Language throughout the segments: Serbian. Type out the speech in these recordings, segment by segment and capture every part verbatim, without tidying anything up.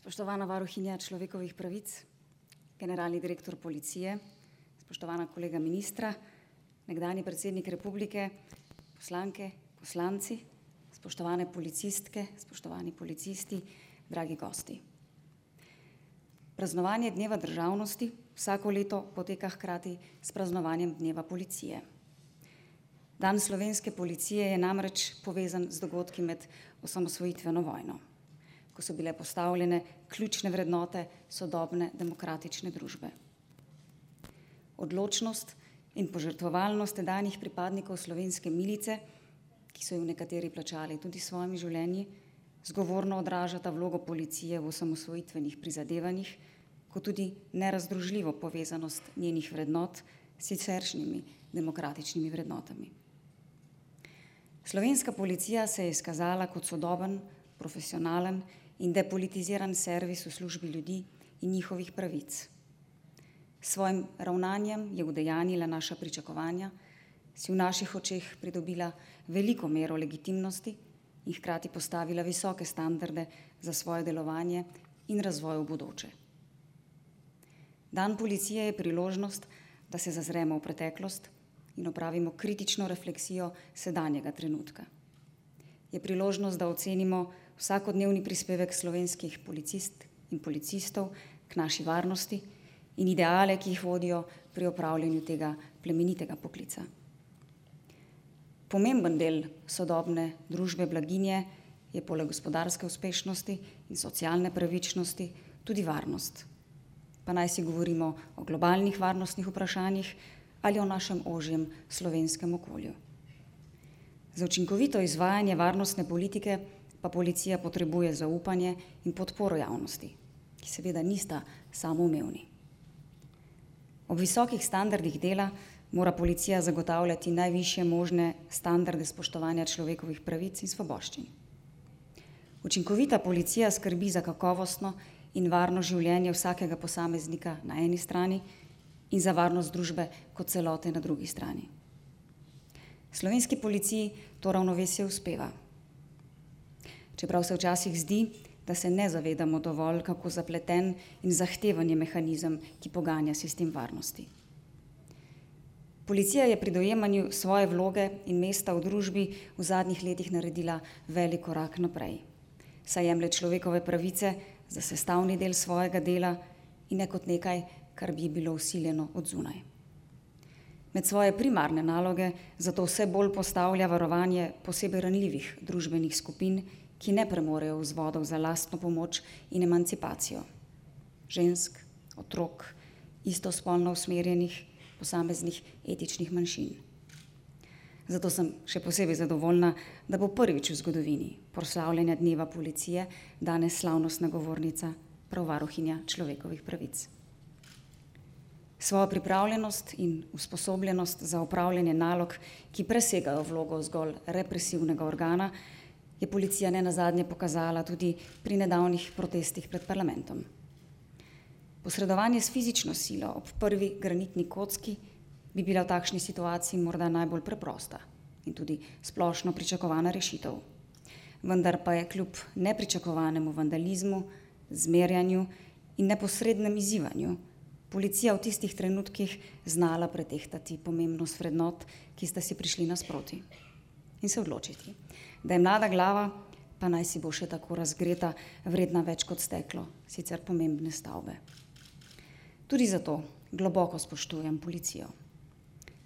Spoštovana varuhinja človekovih pravic, generalni direktor policije, spoštovana kolega ministra, nekdanji predsednik republike, poslanke, poslanci, spoštovane policistke, spoštovani policisti, dragi gosti. Praznovanje Dneva državnosti vsako leto poteka hkrati s praznovanjem Dneva policije. Dan slovenske policije je namreč povezan z dogodki med osamosvojitveno vojno, ko so bile postavljene ključne vrednote sodobne demokratične družbe. Odločnost in požrtvovalnost tedanjih pripadnikov slovenske milice, ki so jo nekateri plačali tudi s svojimi življenji, zgovorno odražata vlogo policije v osamosvojitvenih prizadevanjih, kot tudi nerazdružljivo povezanost njenih vrednot s siceršnjimi demokratičnimi vrednotami. Slovenska policija se je izkazala kot sodoben, profesionalen in depolitiziran servis v službi ljudi in njihovih pravic. S svojim ravnanjem je udejanila naša pričakovanja, si v naših očeh pridobila veliko mero legitimnosti in hkrati postavila visoke standarde za svoje delovanje in razvoj v bodoče. Dan policije je priložnost, da se zazremo v preteklost in opravimo kritično refleksijo sedanjega trenutka. Je priložnost, da ocenimo vsakodnevni prispevek slovenskih policistk in policistov k naši varnosti in ideale, ki jih vodijo pri opravljanju tega plemenitega poklica. Pomemben del sodobne družbe blaginje je poleg gospodarske uspešnosti in socialne pravičnosti tudi varnost. Pa naj si govorimo o globalnih varnostnih vprašanjih ali o našem ožjem slovenskem okolju. Za učinkovito izvajanje varnostne politike pa policija potrebuje zaupanje in podporo javnosti, ki seveda nista samoumevni. Ob visokih standardih dela mora policija zagotavljati najvišje možne standarde spoštovanja človekovih pravic in svoboščin. Učinkovita policija skrbi za kakovostno in varno življenje vsakega posameznika na eni strani in za varnost družbe kot celote na drugi strani. Slovenski policiji to ravnovesje uspeva. Čeprav se včasih zdi, da se ne zavedamo dovolj, kako zapleten in zahteven je mehanizem, ki poganja sistem varnosti. Policija je pri dojemanju svoje vloge in mesta v družbi v zadnjih letih naredila velik korak naprej, saj jemlje človekove pravice za sestavni del svojega dela in ne kot nekaj, kar bi bilo vsiljeno od zunaj. Med svoje primarne naloge zato vse bolj postavlja varovanje posebej ranljivih družbenih skupin, ki ne premorejo vzvodov za lastno pomoč in emancipacijo. Žensk, otrok, istospolno usmerjenih, posameznih etičnih manjšin. Zato sem še posebej zadovoljna, da bo prvič v zgodovini proslavljanja Dneva policije danes slavnostna govornica prav varuhinja človekovih pravic. Svojo pripravljenost in usposobljenost za opravljanje nalog, ki presegajo vlogo zgolj represivnega organa, je policija nenazadnje pokazala tudi pri nedavnih protestih pred parlamentom. Posredovanje s fizično silo ob prvi granitni kocki bi bila v takšni situaciji morda najbolj preprosta in tudi splošno pričakovana rešitev. Vendar pa je kljub nepričakovanemu vandalizmu, zmerjanju in neposrednem izzivanju policija v tistih trenutkih znala pretehtati pomembnost vrednot, ki sta si prišli nasproti, in se odločiti, da je mlada glava, pa naj si bo še tako razgreta, vredna več kot steklo, sicer pomembne stavbe. Tudi zato globoko spoštujem policijo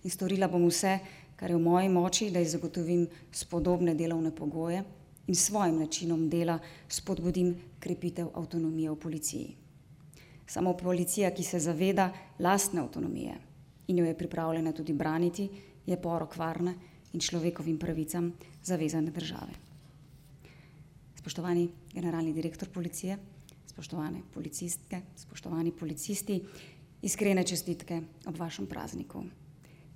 in storila bom vse, kar je v moji moči, da ji zagotovim spodobne delovne pogoje in s svojim načinom dela spodbudim krepitev avtonomije v policiji. Samo policija, ki se zaveda lastne avtonomije in jo je pripravljena tudi braniti, je porok varne in človekovim pravicam zavezane države. Spoštovani generalni direktor policije, spoštovane policistke, spoštovani policisti, iskrene čestitke ob vašem prazniku.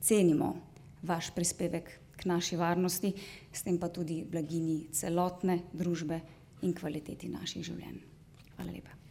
Cenimo vaš prispevek k naši varnosti, s tem pa tudi blaginji celotne družbe in kvaliteti naših življenj. Hvala lepa.